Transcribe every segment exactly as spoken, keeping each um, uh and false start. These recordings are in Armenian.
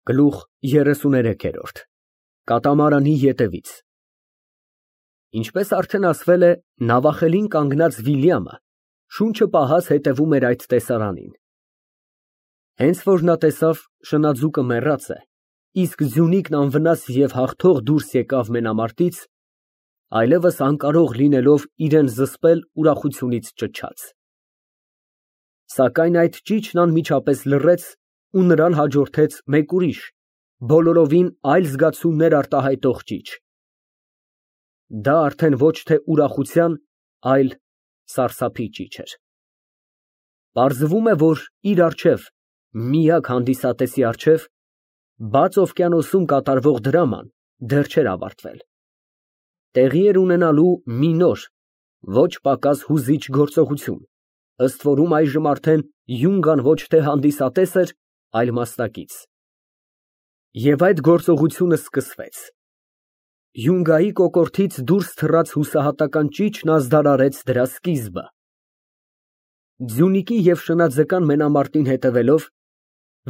Գլուխ երեսուներեք։ Կատամարանի ետևից Ինչպես արդեն ասվել է, նավախելին կանգնած Վիլյամը շունչը պահած հետևում էր այդ տեսարանին։ Հենց որ նա տեսավ շնաձուկը մեռած է, իսկ ձյունիկն անվնաս և հաղթող դուրս եկավ մենամարտից, այլևս անկարող լինելով իրան զսպել, ուրախությունից ճչաց։ Սակայն այդ ճիչն անմիջապես լռեց ու նրան հաջորդեց մեկ ուրիշ, բոլորովին այլ զգացումներ արտահայտող ճիչ։ Դա արդեն ոչ թե ուրախության, այլ սարսափի ճիչ էր։ Պարզվում է, որ իր առջև, միակ հանդիսատեսի առջև, բաց օվկիանոսում կատարվող դրաման դեռ չէր ավարտվել։ Տեղի էր ունենալու մի նոր, ոչ պակաս հուզիչ գործողություն, ըստ որում այժմ արդեն Յունգան ոչ թե հանդիսատես էր, այլ մասնակից։ Եվ այդ գործողությունը սկսվեց։ Յունգայի կոկորդից դուրս թռած հուսահատական ճիչն ազդարարեց դրա սկիզբը։ Ձյունիկի և շնաձկան մենամարտին հետևելով,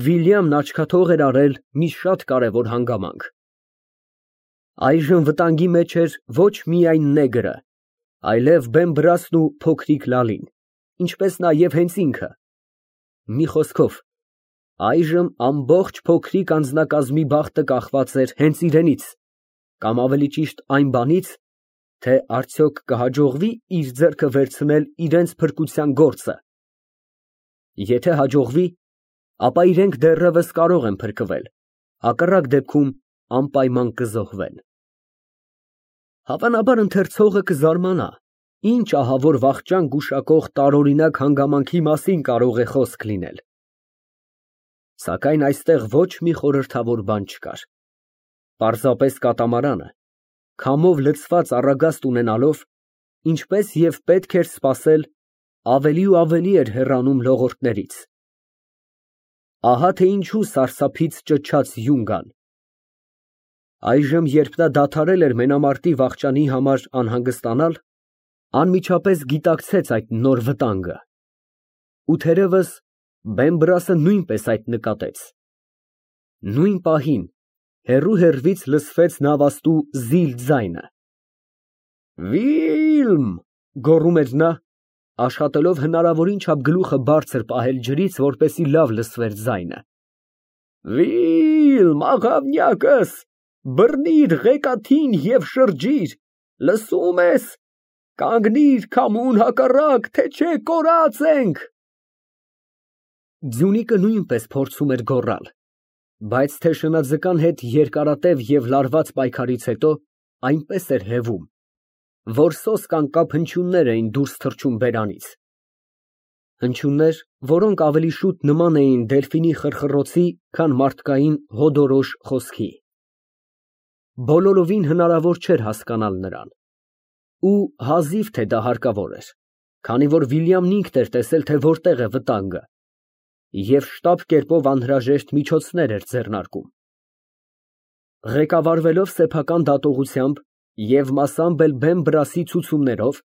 Վիլյամն աչքաթող էր արել մի շատ կարևոր հանգամանք։ Այժմ վտանգի մեջ էր ոչ միայն նեգրը, այլև Բեմբրասն ու փոքրիկ Լալին, ինչպես նաև հենց ինքը։ Մի խոսքով, այժմ ամբողջ փոքրիկ անձնակազմի բախտը կախված էր հենց իրենից, կամ ավելի ճիշտ այն բանից, թե արդյոք կհաջողվի իր ձեռքը վերցնել իրենց փրկության գործը։ Եթե հաջողվի, ապա իրենք դեռևս կարող են փրկվել, հակառակ դեպքում անպայման կզոհվեն։ Հավանաբար ընթերցողը կզարմանա, ինչ ահավոր վախճան գուշակող տարօրինակ հանգամանքի մասին կարող է խոսք լինել։ Սակայն այստեղ ոչ մի խորհրդավոր բան չկար։ Պարզապես կատամարանը, քամով լցված առագաստ ունենալով, ինչպես և պետք էր սպասել, ավելի ու ավելի էր հեռանում լողորդներից։ Ահա թե ինչու սարսափից ճչաց Յունգան։ Այժմ, երբ նա դադարել էր մենամարտի վախճանի համար անհանգստանալ, անմիջապես գիտակցեց այդ նոր վտանգը։ Ու թերևս Բեմբրասը նույնպես այդ նկատեց։ Նույն պահին հեռու֊հեռվից լսվեց նավաստու զիլ ձայնը։ «Վիլմ» գոռում էր նա, աշխատելով հնարավորին չափ գլուխը բարձր պահել ջրից, որպեսզի լավ լսվեր ձայնը։ «Վիլմ, աղավնյակս, բռնիր ղեկաթին և շրջիր, լսո՞ւմ ես, կանգնիր քամուն հակառակ, թե չէ կորած ենք»։ Ձյունիկը նույնպես փորձում էր գոռալ, բայց թե շնաձկան հետ երկարատև և լարված պայքարից հետո այնպես էր հևում, որ սոսկ անկապ հնչյուններ էին դուրս թռչում բերանից, հնչյուններ, որոնք ավելի շուտ նման էին դելֆինի խրխռոցի, քան մարդկային հոդորոշ խոսքի։ Բոլորովին հնարավոր չէր հասկանալ նրան, ու հազիվ թե դա հարկավոր էր, քանի որ Վիլյամն ինքն էր տեսել, թե որտեղ է վտանգը, և շտապ կերպով անհրաժեշտ միջոցներ էր ձեռնարկում։ Ղեկավարվելով սեփական դատողությամբ և մասամբ էլ Բեմբրասի ցուցումներով,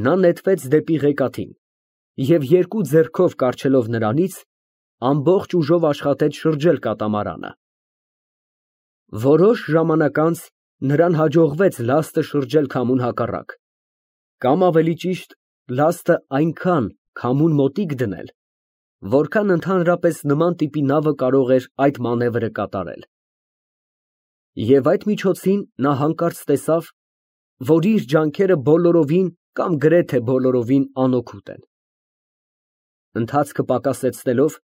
նա նետվեց դեպի ղեկաթին և երկու ձեռքով կառչելով նրանից, ամբողջ ուժով աշխատեց շրջել կատամարանը։ Որոշ ժամանակ անց նրան հաջողվեց լաստը շրջել քամուն հակառակ, կամ ավելի ճիշտ, լաստը այնքան քամուն մոտիկ դնել, որքան ընդհանրապես նման տիպի նավը կարող էր այդ մանևրը կատարել։ Եվ այդ միջոցին նա հանկարծ տեսավ, որ իր ջանքերը բոլորովին կամ գրեթե բոլորովին անօգուտ են։ Ընթացքը պակասեցնելով,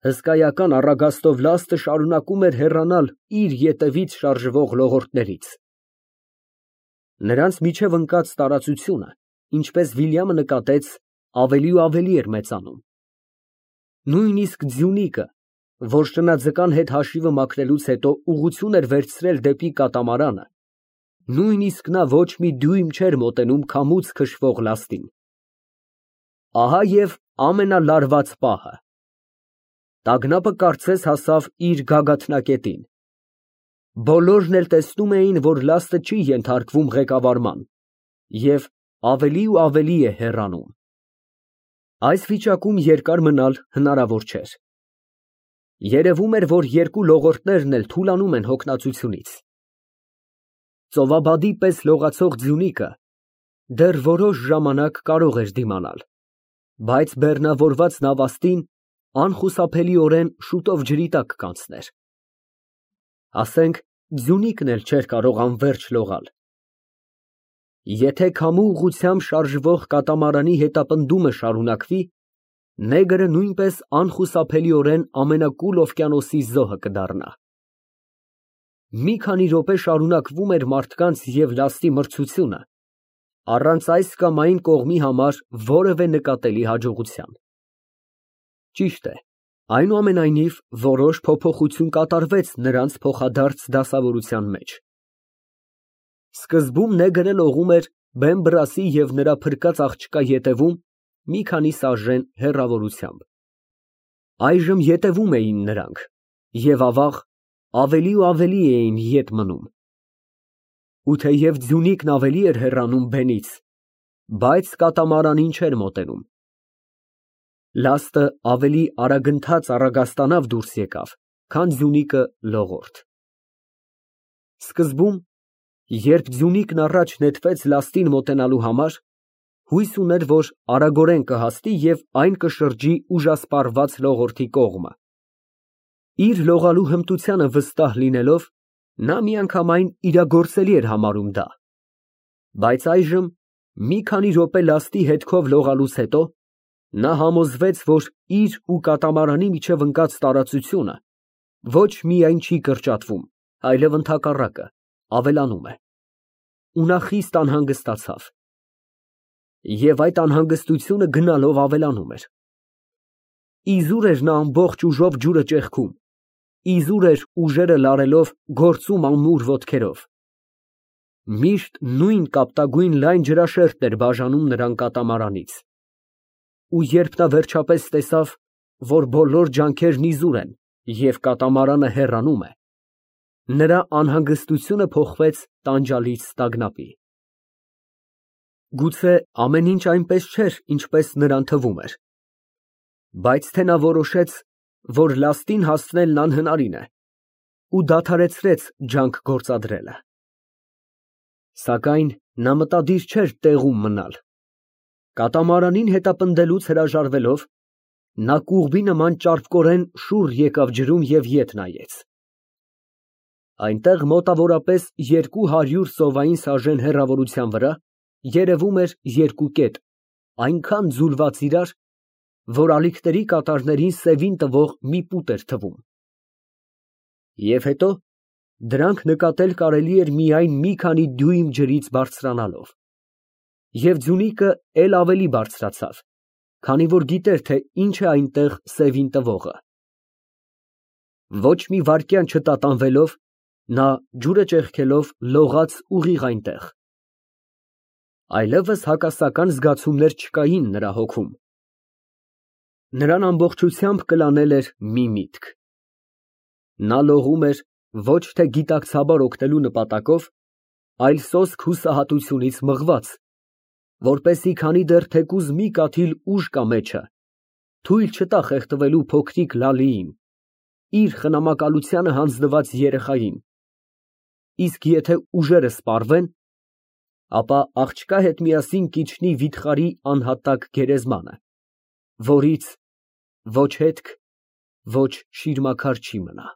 հսկայական առագաստով լաստը շարունակում էր հեռանալ իր ետևից շարժվող լողորդներից։ Նրանց միջև ընկած տարածությունը, ինչպես Վիլյամը նկատեց, ավելի ու ավելի էր մեծանում։ Նույնիսկ ձյունիկը, որ շնաձկան հետ հաշիվը մաքրելուց հետո ուղղություն էր վերցրել դեպի կատամարանը, նույնիսկ նա ոչ մի դյույմ չէր մոտենում քամուց քշվող լաստին։ Ահա և ամենալարված պահը։ Տագնապը կարծես հասավ իր գագաթնակետին։ Բոլորն էլ տեսնում էին, որ լաստը չի ենթարկվում ղեկավարման և ավելի ու ավելի է հեռանում։ Այս վիճակում երկար մնալ հնարավոր չէր։ Երևում էր, որ երկու լողորդներն էլ թուլանում են հոգնածությունից։ Ծովաբադի պես լողացող ձյունիկը դեռ որոշ ժամանակ կարող էր դիմանալ, բայց բեռնավորված նավաստին անխուսափելիորեն շուտով ջրի տակ կանցներ։ Ասենք, ձյունիկն էլ չէր կարող անվերջ լողալ։ Եթե քամու ուղղությամբ շարժվող կատամարանի հետապնդումը շարունակվի, նեգրը նույնպես անխուսափելիորեն ամենակուլ օվկիանոսի զոհը կդառնա։ Մի քանի րոպե շարունակվում էր մարդկանց և լաստի մրցությունը, առանց այս կամ այն կողմի համար որևէ նկատելի հաջողության։ Ճիշտ է, այնուամենայնիվ, որոշ փոփոխություն կատարվեց նրանց փոխադարձ դասավորության մեջ։ Սկզբում նեգրը լողում էր Բեմբրասի և նրա փրկած աղջկա ետևում մի քանի սաժեն հեռավորությամբ։ Այժմ ետևում էին նրանք և, ավաղ, ավելի ու ավելի էին ետ մնում։ Ու թեև ձյունիկն ավելի էր հեռանում բենից, բայց կատամարանին չէր մոտենում։ Լաստը ավելի արագընթաց առագաստանավ դուրս եկավ, քան ձյունիկը լողորդ։ Սկզբում, երբ ձյունիկն առաջ նետվեց լաստին մոտենալու համար, հույս ուներ, որ արագորեն կհասնի և այն կշրջի ուժասպառված լողորդի կողմը։ Իր լողալու հմտությանը վստահ լինելով, նա միանգամայն իրագործելի էր համարում դա։ Բայց այժմ, մի քանի րոպե լաստի հետքով լողալուց հետո, նա համոզվեց, որ իր ու կատամարանի միջև ընկած տարածությունը ոչ միայն չի կրճատվում, այլև ընդհակառակը, ավելանում է։ Ու նա խիստ անհանգստացավ։ Եվ այդ անհանգստությունը գնալով ավելանում էր։ Իզուր էր նա ամբողջ ուժով ջուրը ճեղքում, իզուր էր ուժերը լարելով գործում ամուր ոտքերով։ Միշտ նույն կապտագույն լայն ջրաշերտն էր բաժանում նրան կատամարանից։ Ու երբ նա վերջապես տեսավ, որ բոլոր ջանքերն իզուր են և կատամարանը հեռանում է, նրա անհանգստությունը փոխվեց տանջալից տագնապի։ Գուցե ամեն ինչ այնպես չէր, ինչպես նրան թվում էր, բայց թե նա որոշեց, որ լաստին հասնելն անհնարին է ու դադարեցրեց ջանք գործադրելը։ Սակայն նա մտադիր չէր տեղում մնալ։ Կատամարանին հետապնդելուց հրաժարվելով, նա կուղբի նման ճարպկորեն շուռ եկավ ջրում և ետ նայեց։ Այնտեղ մոտավորապես երկու հարյուր սովային սաժեն հեռավորության վրա երևում էր երկու կետ, այնքան ձուլված իրար, որ ալիքների կատարներին սևին տվող մի պուտ էր թվում։ Եվ հետո դրանք նկատել կարելի էր միայն մի քանի դյույմ ջրից բարձրանալով։ Եվ ձյունիկը էլ ավելի բարձրացավ, քանի որ գիտեր, թե ինչ է այնտեղ սևին տվողը։ Ոչ մի վայրկյան չտատանվելով, նա ջուրը ճեղքելով լողաց ուղիղ այնտեղ։ Այլևս հակասական զգացումներ չկային նրա հոգում։ Նրան ամբողջությամբ կլանել էր մի միտք։ Նա լողում էր ոչ թե գիտակցաբար օգնելու նպատակով, այլ սոսկ հուսահատությունից մղված, որպեսզի քանի դեռ թեկուզ մի կաթիլ ուժ կա մեջը, թույլ չտա խեղդվելու փոքրիկ Լալիին, իր խնամակալությանը հանձնված երեխային, իսկ եթե ուժերը սպառվեն, ապա աղջկա հետ միասին կիջնի վիթխարի անհատակ գերեզմանը, որից ոչ հետք, ոչ շիրմաքար չի մնա։